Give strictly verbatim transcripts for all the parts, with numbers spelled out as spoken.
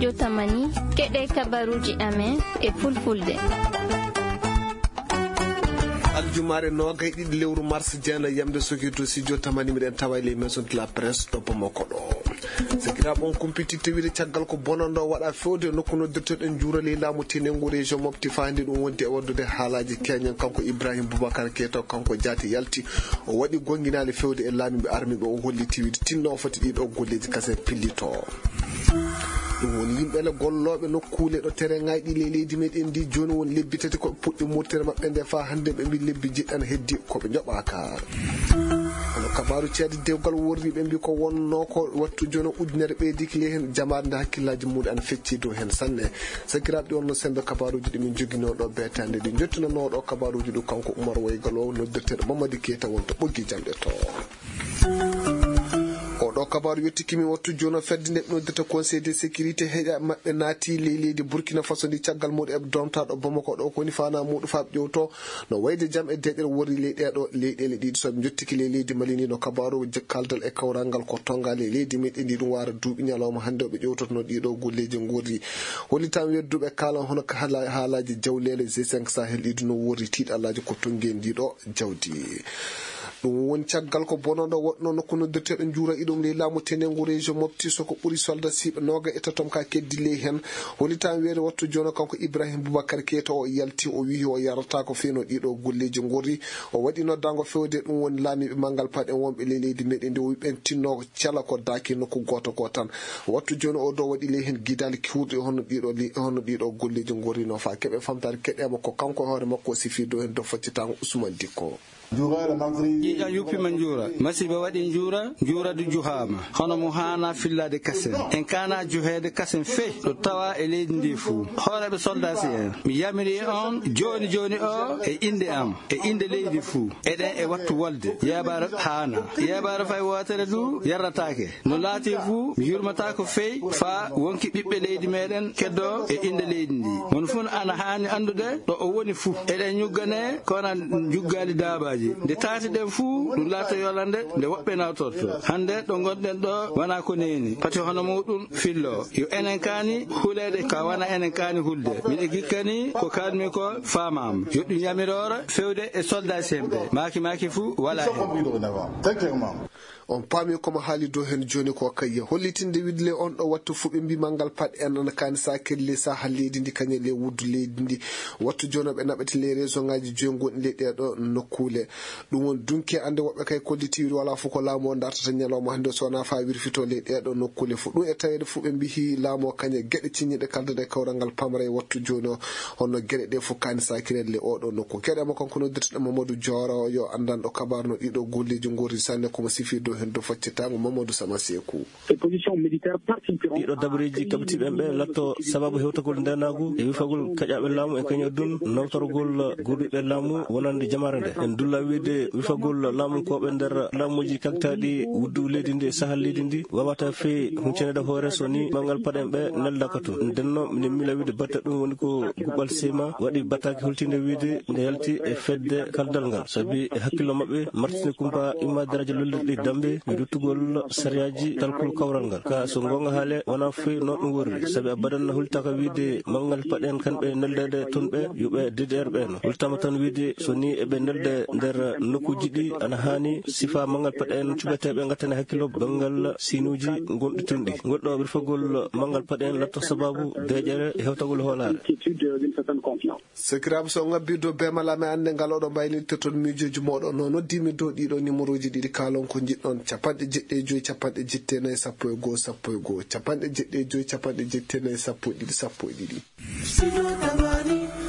Jotamani, keɗe kabaruji amen e fulfulde. Aljumaare noogay ɗiɗi lewru mars, jeena yamde soki to studio tamani, miɗen tawa e les maisons de la presse ɗo Bamako ɗo. Sakiraaɓe, on kumpiti tewide caggal ko bonanɗo waɗa fewde nokku noddirteɗen juurali laamu tenengu région Mopti, fayde ɗum wondi e waddude haalaaji keñen. Kanko Ibrahim Boubacar Keita, kanko jaati yalti, o waɗi gonnginaali fewde e laamiiɓe armiiɓe, o holli tiwide tinno o foti ɗiɗo golleeji kasen pillito. Ɗum woni yimɓe le gollooɓe nokkuule ɗo terrain ŋaaji ɗi ley leydi meɗen ndi, jooni woni lebbi tati ko ɓe puɗɗi murtere maɓɓe nde, faa hannde ɓe mbi lebbi jiɗɗan heddi ko ɓe njoɓaaka. Kono kabaaru ceede dewgal worri ɓe mbi ko wonnoo ko wattu jono ujunere ɓeydiki ley heen jamaare nde hakkillaaji muɗum ana fecci dow heen sanne. Sakiraaɓe, ɗi wonno sembe kabaaruuji ɗi min njoginoo ɗo beetaande ɗi njottinanoo ɗo kabaaruuji ɗum kanko Umar Waygal o noddirteeɗo Mamadi Keita wonto ɓoggi jamɗe to. Oɗo kabaaru yettikimi wattu jono fedde nde ɓe noddirta Conseil de sécurité, heeɗa maɓɓe naati ley leydi Burkina Faso ndi caggal muɗum e domtaɗo Bamako ɗo ko woni fana muɗum faa ɓe ƴewto no wayde jam e deeƴere worri ley ɗeeɗo leyɗeele ɗiɗi. So ɓe njottiki ley leydi Mali ndi no kabaaru je-, kaldal e kawral ngal ko tonga ley leydi meɗen ndi ɗum wara duuɓi ñalawma hannde o ɓe ƴewtotono ɗiɗo golleeji ngorri. Hollitam wedduɓe kala hono ka haala-, haalaaji jawleele G cinq Sahel ɗiɗi no worri tiiɗalaaji ko tongi e ndiɗo jawdi. Ɗum woni caggal ko bononɗo woɗno nokku noddirteɗo Njuura iɗum ley laamu tenengu région Mopti, so ko ɓuri soldat siɓe nooga e tatom ka keddi ley heen. Hollitam weere wattu jono kanko Ibrahim Boubacar Keita o yalti, o wiyi o yarata ko feno ɗiɗo golleeji ngorri. O waɗi noddango fewde ɗum woni laamiiɓe manngal paɗen wonɓe ley leydi meɗen ndi, o wi ɓen tinno cala ko daaki nokku gooto goo tan. Wattu jooni o ɗo waɗi ley heen gidaali kiwruɗi hono ɗiɗo li-, hono ɗiɗo golleeji ngorri no faa keɓe famtaade keɗeema ko kanko e hoore makko o sifi dow heen dow faccitango Ousmane Dikko. Ƴiiƴam yuppima Njuura. Masiiba waɗi Njuura, Njuura du juhaama. Hono mo haana fillaade kasen. En kaana juheede kasen fey ɗo tawa e leydi ndi fuu. Hooreeɓe soldaasi en, mi yamiri on jooni jooni o e innde am, e innde leydi fuu. Eɗen e wattu wolde. Yeebaare haana. Yeebaare fay wootere du yarrataake. No laati fuu, mi yurmataako fey faa wonki ɓiɓɓe leydi meɗen keddo e innde leydi ndi. Mon fuu ana haani anndude ɗo o woni fuu. Eɗen ñuggane, kono njuggaali daabaaji. Nde taati ɗen fuu, ɗum laata yolande nde woɓɓe nawtorto. Hannde ɗo ngonɗen ɗo wonaa ko neeni. Pati hono muɗum fillo. Yo enen kaani huleede ka wona enen kaani hulde. Miɗo gikkani ko kaanmi ko faamaama. Yo ɗum yamiroore fewde e soldat semɓe. Maaki maaki fuu walaa heen. On paami ko mo haali dow heen jooni ko kayya. Hollitinde wiɗle on ɗo wattu fuu ɓe mbii manngal paɗe en ana kaani saakirle saha leydi ndi kañe le wuddu leydi ndi. Wattu jooni ɓe naɓete le région ŋaaji joyi ngonɗi ley ɗeeɗo nokkuule. Ɗum woni dunki annde woɓɓe kay kollitiiɗo walaa fof ko laamu o dartata ñalawma hannde so wonaa faa wirfito ley ɗeeɗo nokkuule fof. Ɗum e taweede fof ɓe mbihi laamu o kañe geɗe ciññiɗe kaldata e kawral ngal pamara e wattu jooni o. Honno geɗe ɗe fof kaani saakirelle oɗo nokku. Keɗe mo kanko noddirteɗo Mamadou Dioro yo anndanɗo kabaar no ɗiɗo golleeji ngorri sanne ko mo sifi dow heen dow faccitango Mamadou Sama Seeku. Ɗiɗo dabareeji kaɓitiiɓe en ɓe latto sababu hewtagol ndeenaagu e wifagol kaƴaaɓe laamu e kañum e ɗum nawtorgol gurduɓe laamu wonande jamaare nde. En dulla wiide wifagol laamunkooɓe nder laamuuji kaktaaɗi wuddu leydi ndi e sahal leydi ndi waawata fey huñcaneede hoore so ni manngal paɗen ɓe neldaaka toon. Ndenno minen miila wiide batte ɗum woni ko guɓal seyma waɗi battaaki holtinde wiide nde yalti e fedde kaldal ngal. Sabi e hakkillo maɓɓe martini kumpa imma daraaje lollirɗi dambe e ruttugol sariyaaji talkol kawral ngal. Ka so ngoonga haale wonaa foy no ɗum worri. Sabi abadan no hultaaka wiide manngal paɗen kamɓe neldeede toon ɓe yuɓe D D R ɓe no. Hultaama tan wiide so ni eɓe nelde nder nokkuuji ɗi ana haani sifa manngal paɗen cuɓeteeɓe ngattane hakkillo banngal sinuuji ngonɗi toon ɗi. Ngol ɗo wirfagol manngal paɗen latto sababu deeƴere e hewtagol hoolaare. Sakiraaɓe, so on ngabbii dow beemal amen, annde ngal oɗo mbaylitoton miijooji mooɗon. No noddiimi dow ɗiɗo numéroji ɗiɗi, kaalon ko njiɗɗon. Capanɗe jeɗɗi e joyi, capanɗe jeɗɗi e nayi, sappo e goo, sappo e goo. Capanɗe jeɗɗi e joyi, capanɗe jeɗɗi e nayi, sappo e ɗiɗi, sappo e ɗiɗi.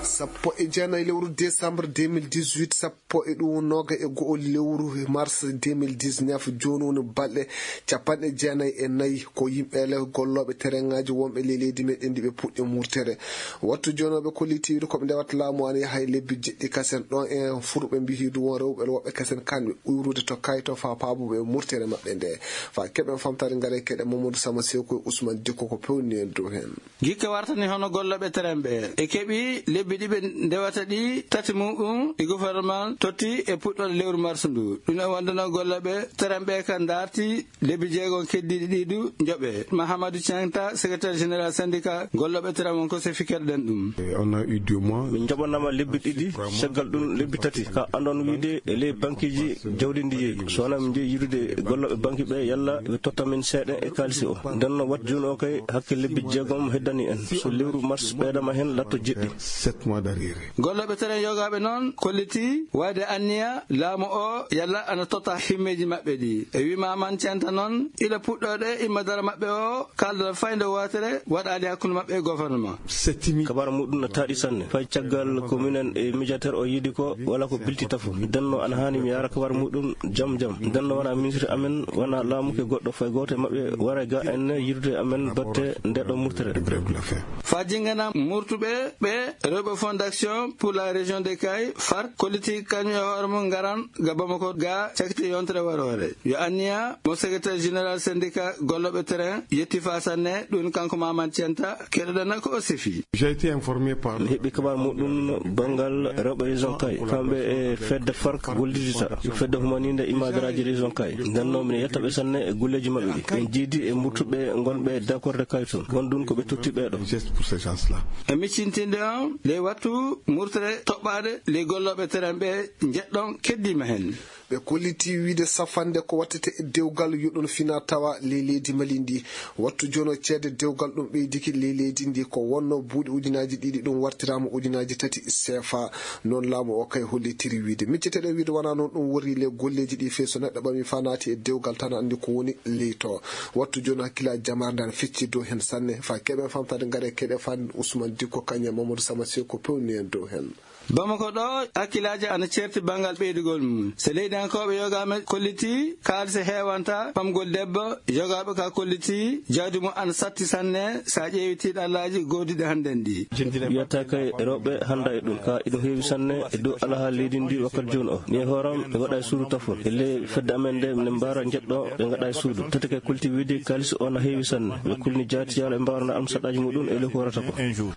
Sappo e jeenayi lewru décembre deux mille dix-huit, sappo e ɗum nooga e go'o lewru mars deux mille dix-neuf, jooni woni balɗe capanɗe jeenayi e nayi ko yimɓe le gollooɓe terrain ŋaaji wonɓe ley leydi meɗen ndi ɓe puɗɗi murtere. Wattu jooni o ɓe kollitiiɗo ko ɓe ndewata laamu ana yaha e lebbi jeɗɗi kasen. Ɗon e furɓe mbihiidu won rewɓe woɓɓe kasen kanɓe uyrude to kayto faa paabuɓe e murtere maɓɓe nde. Faa keɓen famtaade ngare keɗe Mamadou Sama Seeku e Ousmane Dikko ko pewni en dow heen. Gikke wartani hono gollooɓe terrain ɓe e keɓi lebbi Lebbi ɗi ɓe ndewata ɗi, tati mum ɗum e gouvernement totti e puɗɗoɗe lewru mars ndu. Ɗum e wonde noon gollooɓe terrain ɓe ka ndarti lebbi jeegom keddiiɗi ɗi du njoɓe. Mahamadou Tianta, secrétaire général syndicat gollooɓe terrain won ko sefi keɗoɗen ɗum. Et on a eu deux mois. Min njoɓanama lebbi ɗiɗi, caggal ɗum lebbi tati. Ka andon wiide e ley bankiji jawdi ndi yeeyi. So wonaa min njeyi yiɗude gollooɓe banki ɓe, yalla ɓe totta min seeɗa e kaalisi o. Nden no wat jooni o kay hakke lebbi jeegom heddani en. So lewru mars ɓeydama hen latto jeɗɗi. Sept mois d'arriéré. Gollooɓe terrain yogaaɓe noon kolliti wayde anniya laamu o yalla ana totta himmeeji maɓɓe ɗi. E wima man centa noon ila puɗɗoɗe imma dara maɓɓe o kaldal fayde wootere waɗaali hakkunde maɓɓe e gouvernement. Settimi. Kabar muɗum no taaɗi sanne. Fay caggal ko minen e médiateur o yiɗi ko wala ko bilti tafo. Denno ana haani mi yaara kabar muɗum jam jam. Denno wona ministre amen, wona laamu ke goɗɗo fay gooto e maɓɓe wara ga en yiɗude amen batte nde ɗo murtere. De grève de la faim. Fa jingana murtuɓe ɓe rewɓe Fonds d'Action pour la Région de Kay, far, kolliti kañum e hoore mum ngaran ga Bamako ga cakti yontere waroore. Yo anniya mo secrétaire général syndicat gollooɓe terrain yetti fa sanne, ɗum kanko Mamad Centa, keɗoɗen ko o sefi. J'ai été informé par. Mi heɓi kabar muɗum banngal rewɓe région Kay, kamɓe e fedde fark gollidita, fedde humaninde imadaraaji région Kay. Ndenno min yettaɓe sanne e golleeji maɓɓe ɗi. Ɓe jiidi e murtuɓe ngonɓe d'accord de Kay toon. Won ɗum ko ɓe totti ɓeeɗo. Geste pour ces gens-là. E miccintinde on, ley wattu murtere toɓɓaade ley gollooɓe terrain ɓe njeɗɗon keddiima heen. Ɓe kolliti wiide safande ko wattete e dewgal yo ɗum fina tawa ley leydi Mali ndi. Wattu jono ceede dewgal ɗum ɓeydiki ley leydi ndi ko wonno buuɗi ujunaaji ɗiɗi ɗum wartiraama ujunaaji tati seefa. Noon laamu o kay hollitiri wiide. Micceteɗen wiide wona noon ɗum worri ley golleeji ɗi fey so neɗɗo ɓami fa naati e dewgal tan anndi ko woni ley to. Wattu jooni hakkillaaji jamaare nde ana fecci dow heen sanne. Fa keɓen famtade ngare keɗe fa Ousmane Dikko kañum e Mamadou Sama Seko pewni en dow heen. Bamako ɗo hakkillaaji ana ceerti banngal ɓeydugol mum. So leydiyankooɓe yogaama kolliti kaalisi heewanta ɓamgol debbo, yogaaɓe ka kolliti jawdi mum ana satti sanne so a ƴeewi tiiɗallaaji goodiɗi hannden ɗi. Wiyata kay rewɓe hannda e ɗum ka ina heewi sanne e dow alaha leydi ndi wakkati jooni o. Mi e hooram mi waɗa e suudu tafol. E ley fedde amen nde min mbaara njeɗɗo ɓe ngaɗa e suudu. Tati kay kulti wiide kaalisi o na heewi sanne. Ɓe kulni jaati yalla ɓe mbaarana am saɗɗaaji muɗum e ley ko warata ko.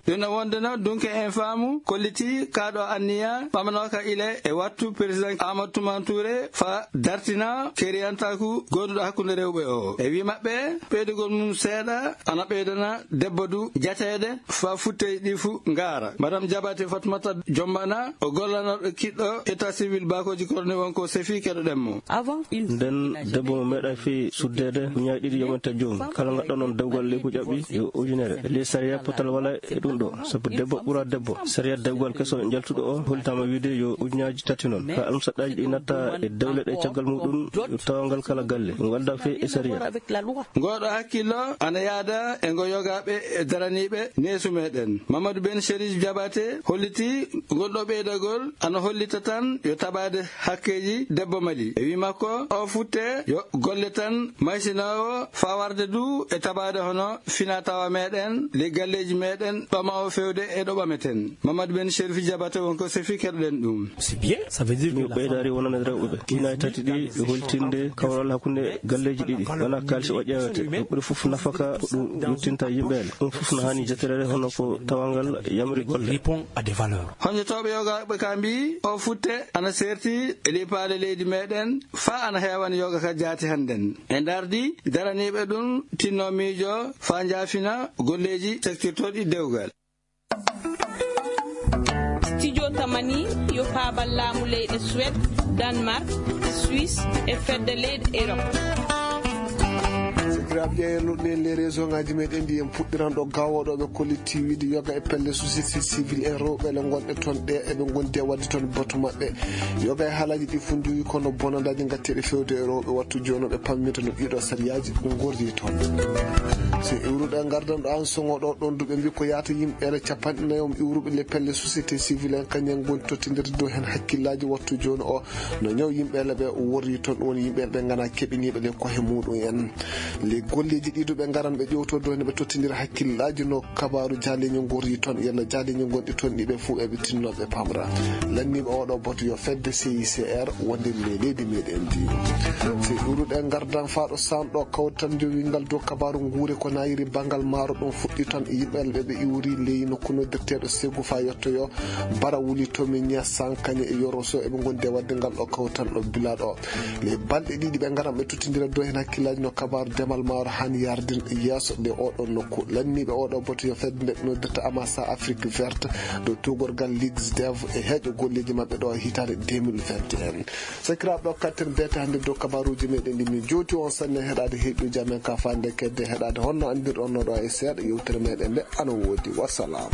Ɗum no wonde noon dunke en faamu kolliti kaaɗo anniya ɓamanooka ile e wattu président Amadou Toumani Touré fa dartina keriyantaaku gooduɗo hakkunde rewɓe o. E wi maɓɓe ɓeydugol mum seeɗa ana ɓeydana debbo du jateede fa futtey ɗi fu ngaara. Madame Diabaté Fatoumata Jombana o gollanooɗo kiɗɗo état civil bakoji koroni won ko sefi keɗoɗen mo. Nden debbo mo meeɗa fi suddeede ñaay ɗiɗi yomante joom kala ngaɗɗo noon dewgal ley ko ƴaɓɓi yo ujunere. Ley sariya potal wala e ɗum ɗo. Sabu debbo ɓura debbo. Sariya dewgal keso jaltuɗo o holtama wiide yo ujunaaji tati noon. Ka almusaɗɗaaji ɗi natta e dewle ɗe caggal muɗum yo tawangal kala galle. Ɗum walda fe e sariya. Ngoɗo hakkillo ana yaada e ngo yogaaɓe e daraniiɓe neesu meɗen. Mamadou Ben Chérif Diabaté holliti ngol ɗo ɓeydagol ana hollita tan yo taɓaade hakkeeji debbo Mali. E wi makko o futte yo golle tan maysinoowo fa warde du e taɓaade hono fina tawa meɗen, ley galleeji meɗen, ɓamawo fewde e ɗo ɓameten. Mamadou Ben Chérif Diabaté won ko sefi keɗoɗen ɗum. C'est bien, ça veut dire que mi la ɓeydaari femme wonande rewɓe ɓe. Ɗinaay tati ɗi ɓe holtinde kawral hakkunde galleeji ɗiɗi. Wona kaalisi o ƴeewete. Ɓe ɓuri fof nafaka ko ɗum yottinta yimɓeele. Ɗum fof no haani jeterede hono ko tawangal yamri golle. Répond à des valeurs. Honjotooɓe yogaaɓe ka mbii o futte ana seerti e lipaale leydi meɗen fa ana heewan yoga ka jaati hannden. E ndardi daraniiɓe ɗum tinno miijo fa njaafina golleeji sektirtooɗi dewgal. Studio Tamani yo paabal laamu leyɗe Suède, Danemark, Suisse e fedde leyɗe Europe. Sakiraaɓe ƴeewen luɗɗe les région ngaji meɗen ɗi en puɗɗiran ɗo gawoɗo ɓe kolliti wiide yoga e pelle société civile en rewɓe le gonɗe toon ɗe eɓe gondi e wadde toon batu maɓɓe. Yoga e haalaji ɗi fof jogi kono bonandaji gatteɗe fewde e rewɓe wattu jooni ɓe pamminta no ɗiɗo sariyaji gorri toon. So iwruɗo e gardan ɗo an sogo ɗo ɗon duɓe mbi ko yaata yimɓe ene capanɗe nayo iwruɓe le pelle société civile en kañum en goni tottidirde dow hen hakkillaji wattu jooni o no ñaw yimɓe le ɓe worri toon ɗum woni yimɓe le ɓe gana keɓiniɓe le kohe muɗum en. E golleeji ɗiɗo ɓe ngaran ɓe ƴewto dow ne ɓe tottindira hakkillaaji no kabaaru jaaleño ngorri toon, yalla jaaleño gonɗi toon ɗiɓe fof eɓe tinno ɓe pamra. Lanniiɓe oɗo boto yo fedde C I C R wonde le leydi meɗen ndi. Si ɗuruɗe ngardan faaɗo sanɗo kawtal jowingal dow kabaaru nguure ko nayiri bangal maaro ɗum fuɗɗi toon yimɓe ɓe ɓe iwri ley nokku noddirteeɗo segu fa yettoyo bara wuli tomiña sankañe e yoroso eɓe gondi e wadde ngal ɗo kawtal ɗo bilaɗo. Les balɗe ɗiɗi ɓe ngaran ɓe tottindira dow heen hakkillaaji no kabaaru demal maaro han yardin yeeso nde oɗo nokku. Lanniiɓe oɗo boto yo fedde nde noddirta amasa Afrique verte dow tugorgal ligsdev e heeƴo golleeji maɓɓe ɗo hitaande deux mille vingt et un. Sakiraaɓe ɗo katten beete hannde dow kabaaruuji meɗen ɗi min jowti on sanne heɗaade heeƴuuji amen ka fande kedde heɗaade honno anndirɗon no ɗo e seeɗa yewtere meɗen nde ana woodi. Wassalam.